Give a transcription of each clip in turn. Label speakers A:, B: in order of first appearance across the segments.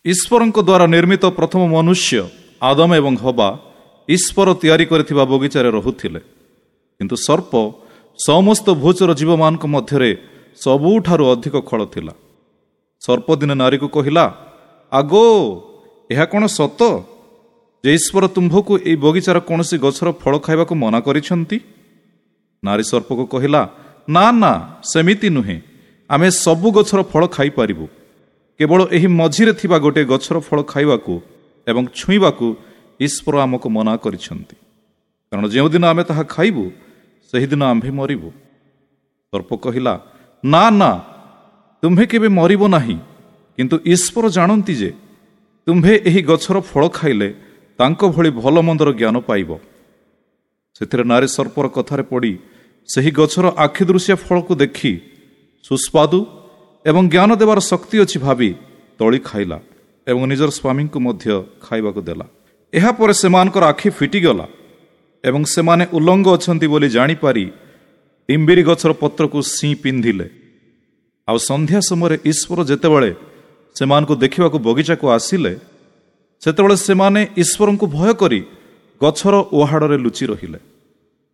A: ଈଶ୍ୱରଙ୍କ ଦ୍ୱାରା ନିର୍ମିତ ପ୍ରଥମ ମନୁଷ୍ୟ ଆଦମ ଏବଂ ହବା ଈଶ୍ୱର ତିଆରି କରିଥିବା ବଗିଚାରେ ରହୁଥିଲେ। କିନ୍ତୁ ସର୍ପ ସମସ୍ତ ଭୂଚର ଜୀବମାନଙ୍କ ମଧ୍ୟରେ ସବୁଠାରୁ ଅଧିକ ଖଳ ଥିଲା। ସର୍ପ ଦିନେ ନାରୀକୁ କହିଲା, ଆଗୋ, ଏହା କ'ଣ ସତ ଯେ ଈଶ୍ୱର ତୁମ୍ଭକୁ ଏହି ବଗିଚାର କୌଣସି ଗଛର ଫଳ ଖାଇବାକୁ ମନା କରିଛନ୍ତି? ନାରୀ ସର୍ପକୁ କହିଲା, ନା ନା, ସେମିତି ନୁହେଁ। ଆମେ ସବୁ ଗଛର ଫଳ ଖାଇପାରିବୁ, କେବଳ ଏହି ମଝିରେ ଥିବା ଗୋଟିଏ ଗଛର ଫଳ ଖାଇବାକୁ ଏବଂ ଛୁଇଁବାକୁ ଈଶ୍ୱର ଆମକୁ ମନା କରିଛନ୍ତି, କାରଣ ଯେଉଁଦିନ ଆମେ ତାହା ଖାଇବୁ ସେହିଦିନ ଆମ୍ଭେ ମରିବୁ। ସର୍ପ କହିଲା, ନା ନା, ତୁମ୍ଭେ କେବେ ମରିବ ନାହିଁ, କିନ୍ତୁ ଈଶ୍ୱର ଜାଣନ୍ତି ଯେ ତୁମ୍ଭେ ଏହି ଗଛର ଫଳ ଖାଇଲେ ତାଙ୍କ ଭଳି ଭଲ ମନ୍ଦର ଜ୍ଞାନ ପାଇବ। ସେଥିରେ ନାରୀ ସର୍ପର କଥାରେ ପଡ଼ି ସେହି ଗଛର ଆଖିଦୃଶିଆ ଫଳକୁ ଦେଖି ସୁସ୍ୱାଦୁ ଏବଂ ଜ୍ଞାନ ଦେବାର ଶକ୍ତି ଅଛି ଭାବି ତଳି ଖାଇଲା ଏବଂ ନିଜର ସ୍ୱାମୀଙ୍କୁ ମଧ୍ୟ ଖାଇବାକୁ ଦେଲା। ଏହାପରେ ସେମାନଙ୍କର ଆଖି ଫିଟିଗଲା ଏବଂ ସେମାନେ ଉଲଙ୍ଗ ଅଛନ୍ତି ବୋଲି ଜାଣିପାରି ଡିମ୍ବିରି ଗଛର ପତ୍ରକୁ ସିଁ ପିନ୍ଧିଲେ। ଆଉ ସନ୍ଧ୍ୟା ସମୟରେ ଈଶ୍ୱର ଯେତେବେଳେ ସେମାନଙ୍କୁ ଦେଖିବାକୁ ବଗିଚାକୁ ଆସିଲେ, ସେତେବେଳେ ସେମାନେ ଈଶ୍ୱରଙ୍କୁ ଭୟ କରି ଗଛର ଓହାଡ଼ରେ ଲୁଚି ରହିଲେ।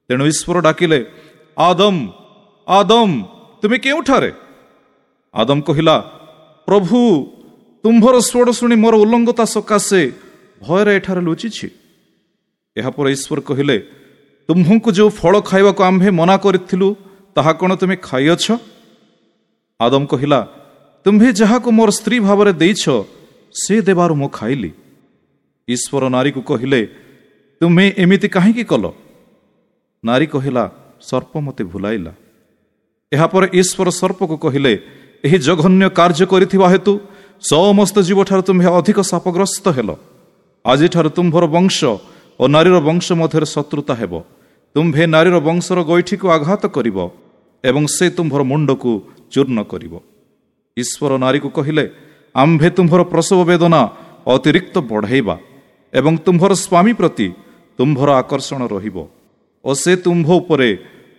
A: ତେଣୁ ଈଶ୍ୱର ଡାକିଲେ, ଆଦମ, ଆଦମ, ତୁମେ କେଉଁଠାରେ? ଆଦମ କହିଲା, ପ୍ରଭୁ, ତୁମ୍ଭର ସ୍ୱର ଶୁଣି ମୋର ଉଲ୍ଲଙ୍ଗତା ସକାଶେ ଭୟରେ ଏଠାରେ ଲୁଚିଛି। ଏହାପରେ ଈଶ୍ୱର କହିଲେ, ତୁମ୍ଭଙ୍କୁ ଯେଉଁ ଫଳ ଖାଇବାକୁ ଆମ୍ଭେ ମନା କରିଥିଲୁ ତାହା କ'ଣ ତୁମେ ଖାଇଅଛ? ଆଦମ କହିଲା, ତୁମ୍ଭେ ଯାହାକୁ ମୋର ସ୍ତ୍ରୀ ଭାବରେ ଦେଇଛ ସେ ଦେବାରୁ ମୁଁ ଖାଇଲି। ଈଶ୍ୱର ନାରୀକୁ କହିଲେ, ତୁମେ ଏମିତି କାହିଁକି କଲ? ନାରୀ କହିଲା, ସର୍ପ ମୋତେ ଭୁଲାଇଲା। ଏହାପରେ ଈଶ୍ୱର ସର୍ପକୁ କହିଲେ, ଏହି ଜଘନ୍ୟ କାର୍ଯ୍ୟ କରିଥିବା ହେତୁ ସମସ୍ତ ଜୀବଠାରୁ ତୁମ୍ଭେ ଅଧିକ ଶାପଗ୍ରସ୍ତ ହେଲ। ଆଜିଠାରୁ ତୁମ୍ଭର ବଂଶ ଓ ନାରୀର ବଂଶ ମଧ୍ୟରେ ଶତ୍ରୁତା ହେବ। ତୁମ୍ଭେ ନାରୀର ବଂଶର ଗୋଇଠିକୁ ଆଘାତ କରିବ ଏବଂ ସେ ତୁମ୍ଭର ମୁଣ୍ଡକୁ ଚୂର୍ଣ୍ଣ କରିବ। ଈଶ୍ୱର ନାରୀକୁ କହିଲେ, ଆମ୍ଭେ ତୁମ୍ଭର ପ୍ରସବ ବେଦନା ଅତିରିକ୍ତ ବଢ଼ାଇବା ଏବଂ ତୁମ୍ଭର ସ୍ୱାମୀ ପ୍ରତି ତୁମ୍ଭର ଆକର୍ଷଣ ରହିବ ଓ ସେ ତୁମ୍ଭ ଉପରେ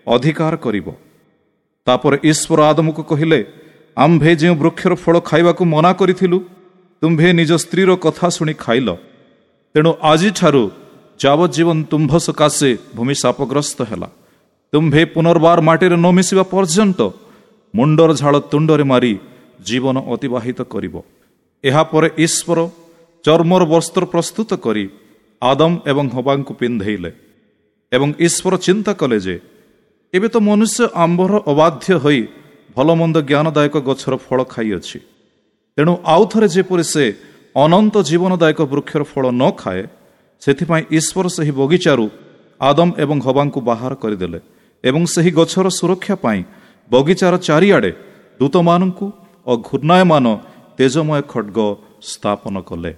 A: ଅଧିକାର କରିବ। ତାପରେ ଈଶ୍ୱର ଆଦମକୁ କହିଲେ, ଆମ୍ଭେ ଯେଉଁ ବୃକ୍ଷର ଫଳ ଖାଇବାକୁ ମନା କରିଥିଲୁ ତୁମ୍ଭେ ନିଜ ସ୍ତ୍ରୀର କଥା ଶୁଣି ଖାଇଲ। ତେଣୁ ଆଜିଠାରୁ ଯାବଜ୍ଜୀବନ ତୁମ୍ଭ ସକାଶେ ଭୂମି ଶାପଗ୍ରସ୍ତ ହେଲା। ତୁମ୍ଭେ ପୁନର୍ବାର ମାଟିରେ ନ ମିଶିବା ପର୍ଯ୍ୟନ୍ତ ମୁଣ୍ଡର ଝାଳ ତୁଣ୍ଡରେ ମାରି ଜୀବନ ଅତିବାହିତ କରିବ। ଏହାପରେ ଈଶ୍ୱର ଚର୍ମର ବସ୍ତ୍ର ପ୍ରସ୍ତୁତ କରି ଆଦମ ଏବଂ ହବାଙ୍କୁ ପିନ୍ଧେଇଲେ ଏବଂ ଈଶ୍ୱର ଚିନ୍ତା କଲେ ଯେ ଏବେ ତ ମନୁଷ୍ୟ ଆମ୍ଭର ଅବାଧ୍ୟ ହୋଇ ଭଲମନ୍ଦ ଜ୍ଞାନଦାୟକ ଗଛର ଫଳ ଖାଇଅଛି। ତେଣୁ ଆଉ ଥରେ ଯେପରି ସେ ଅନନ୍ତ ଜୀବନଦାୟକ ବୃକ୍ଷର ଫଳ ନ ଖାଏ, ସେଥିପାଇଁ ଈଶ୍ୱର ସେହି ବଗିଚାରୁ ଆଦମ ଏବଂ ହବାଙ୍କୁ ବାହାର କରିଦେଲେ ଏବଂ ସେହି ଗଛର ସୁରକ୍ଷା ପାଇଁ ବଗିଚାର ଚାରିଆଡ଼େ ଦୂତମାନଙ୍କୁ ଓ ଘୂର୍ଣ୍ଣାୟମାନ ତେଜମୟ ଖଡ଼୍ଗ ସ୍ଥାପନ କଲେ।